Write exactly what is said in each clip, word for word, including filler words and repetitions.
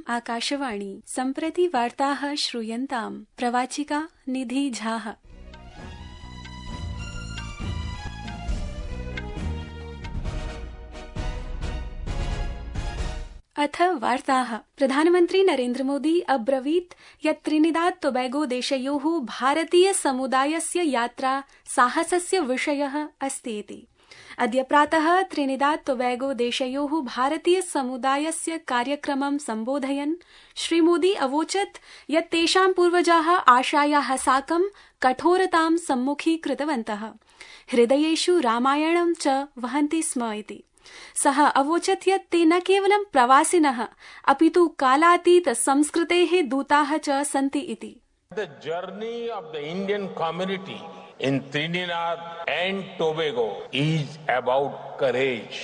आकाशवाणी सम्प्रति वार्ताः श्रूयन्ताम् प्रवाचिका निधि झा। अथ वार्ताः। प्रधानमन्त्री नरेन्द्र मोदी अब्रवीत् यत् त्रिनिदाद टोबैगो देशयोः भारतीय समुदायस्य यात्रा साहसस्य विषयः अस्ति इति। अद्य प्रातः त्रिनिदाद टोबैगो देशयोः भारतीय समुदायस्य कार्यक्रमं सम्बोधयन् श्रीमोदी अवोचत् यत् तेषां पूर्वजाः आशायाः साकं कठोरतां सम्मुखीकृतवन्तः, हृदयेषु रामायणं च वहन्ति स्म इति। सः अवोचत् यत् ते न केवलं प्रवासिनः अपितु कालातीत संस्कृतेः दूताः च सन्ति इति। The journey of the Indian community in Trinidad and Tobago is about courage.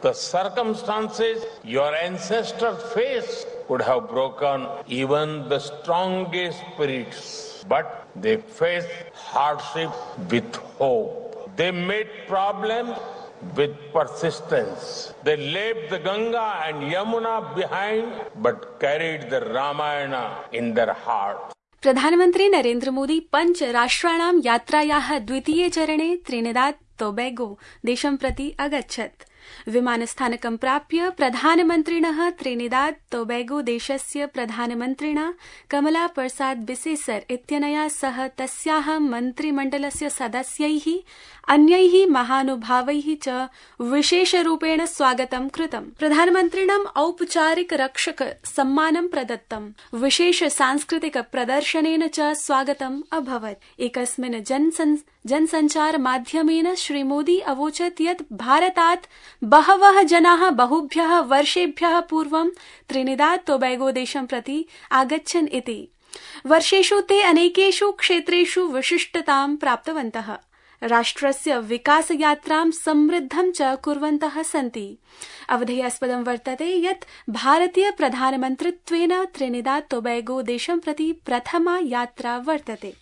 The circumstances your ancestors faced could have broken even the strongest spirits, but they faced hardship with hope. They met problems with persistence. They left the Ganga and Yamuna behind, but carried the Ramayana in their heart. प्रधानमन्त्री नरेन्द्र मोदी पञ्च राष्ट्राणां यात्रायाः द्वितीये चरणे Trinidad Tobago देशं प्रति अगच्छत्। विमानस्थानकं प्राप्य प्रधानमन्त्रिणः त्रिनिदाद टोबैगो देशस्य प्रधानमन्त्रिणा कमला प्रसाद बिसेसर इत्यनया सह तस्याः मन्त्रिमण्डलस्य सदस्यैः अन्यैः महानुभावैः च विशेषरूपेण स्वागतं कृतम्। प्रधानमन्त्रिणम् औपचारिक रक्षक सम्मानं प्रदत्तम्। विशेष सांस्कृतिक प्रदर्शनेन च स्वागतम् अभवत्। एकस्मिन् जनसञ्चार माध्यमेन श्रीमोदी अवोचत् यत् भारतात् बहवः जनाः बहुभ्यः वर्षेभ्यः पूर्वं त्रिनिदाद टोबैगो देशं प्रति आगच्छन् इति। वर्षेषु ते अनेकेषु क्षेत्रेषु विशिष्टतां प्राप्तवन्तः, राष्ट्रस्य विकासयात्रां समृद्धं च कुर्वन्तः सन्ति। अवधेयास्पदं वर्तते यत् भारतीय प्रधानमन्त्रित्वेन त्रिनिदाद टोबैगो देशं प्रति प्रथमा यात्रा वर्तते।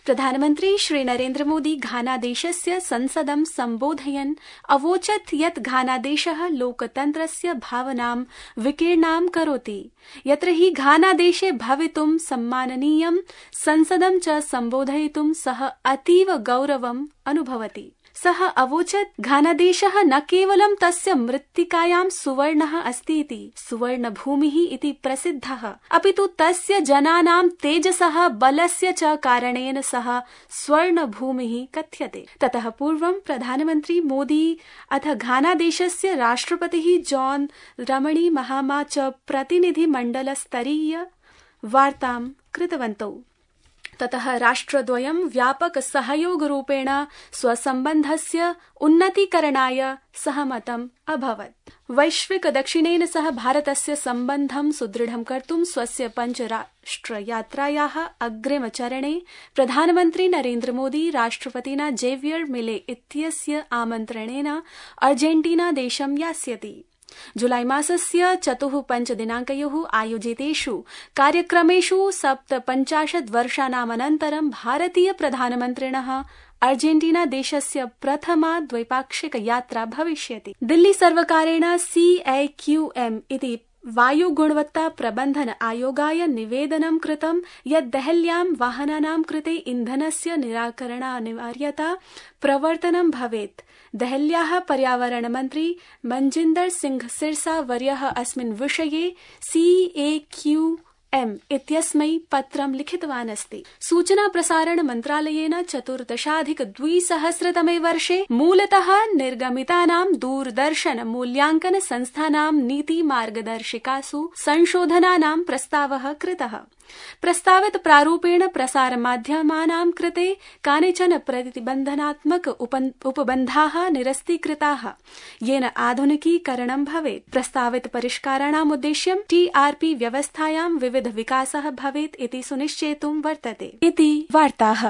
प्रधानमन्त्री श्री नरेन्द्र मोदी घानादेशस्य संसदं सम्बोधयन् अवोचत् यत् घानादेशः लोकतन्त्रस्य भावनां विकीर्णां करोति, यत्र हि घानादेशे भवितुं सम्माननीयं संसदं च सम्बोधयितुं सः अतीव गौरवम् अनुभवति। सः अवोचत् घानादेशः न केवलं तस्य मृत्तिकायां सुवर्णः अस्ति इति, सुवर्णभूमिः इति प्रसिद्धः, अपितु तस्य जनानां तेजसः बलस्य च कारणेन सः स्वर्णभूमिः कथ्यते। ततः पूर्वं प्रधानमन्त्री मोदी अथ घानादेशस्य राष्ट्रपतिः जॉन रमणी महामा च प्रतिनिधिमण्डलस्तरीय वार्तां कृतवन्तौ। ततः राष्ट्रद्वयं व्यापक सहयोगरूपेण स्वसम्बन्धस्य उन्नतीकरणाय सहमतम् अभवत्। वैश्विक दक्षिणेन सह भारतस्य सम्बन्धं सुदृढं कर्तुं स्वस्य पञ्चराष्ट्रयात्रायाः अग्रिमचरणे प्रधानमन्त्री नरेन्द्र मोदी राष्ट्रपतिना जेवियर मिले इत्यस्य आमन्त्रणेन अर्जेन्टीना देशं यास्यति। जुलाई मासस्य चतुः पञ्च दिनाङ्कयोः आयोजितेषु कार्यक्रमेषु सप्तपञ्चाशत् वर्षाणामनन्तरं भारतीय प्रधानमन्त्रिणः अर्जेन्टीना देशस्य प्रथमा द्वैपाक्षिक यात्रा भविष्यति। दिल्ली सर्वकारेण सी ए क्यू एम इति वायुगुणवत्ता प्रबन्धन आयोगाय निवेदनं कृतं यत् देहल्यां वाहनानां कृते इन्धनस्य निराकरणानिवार्यता प्रवर्तनं भवेत्। देहल्याः पर्यावरण मन्त्री मनजिन्दर सिंह सिरसा वर्यः अस्मिन् विषये सी ए क्यू एम इत्यस्मै पत्रं लिखितवान् अस्ति। सूचना प्रसारण मन्त्रालयेन चतुर्दशाधिक द्विसहस्रतमे वर्षे मूलतः निर्गमितानां दूरदर्शन मूल्याङ्कन संस्थानां नीति मार्गदर्शिकासु संशोधनानां प्रस्तावः कृतः। प्रस्तावित प्रारूपेण प्रसार माध्यमानां कृते कानिचन प्रतिबन्धनात्मक उपबन्धाः निरस्तीकृताः, येन आधुनिकीकरणं भवेत्। प्रस्तावित परिष्काराणाम् उद्देश्यं टीआरपी व्यवस्थायां विविध विकासः भवेत् इति सुनिश्चेतुं वर्तते इति वार्ताः।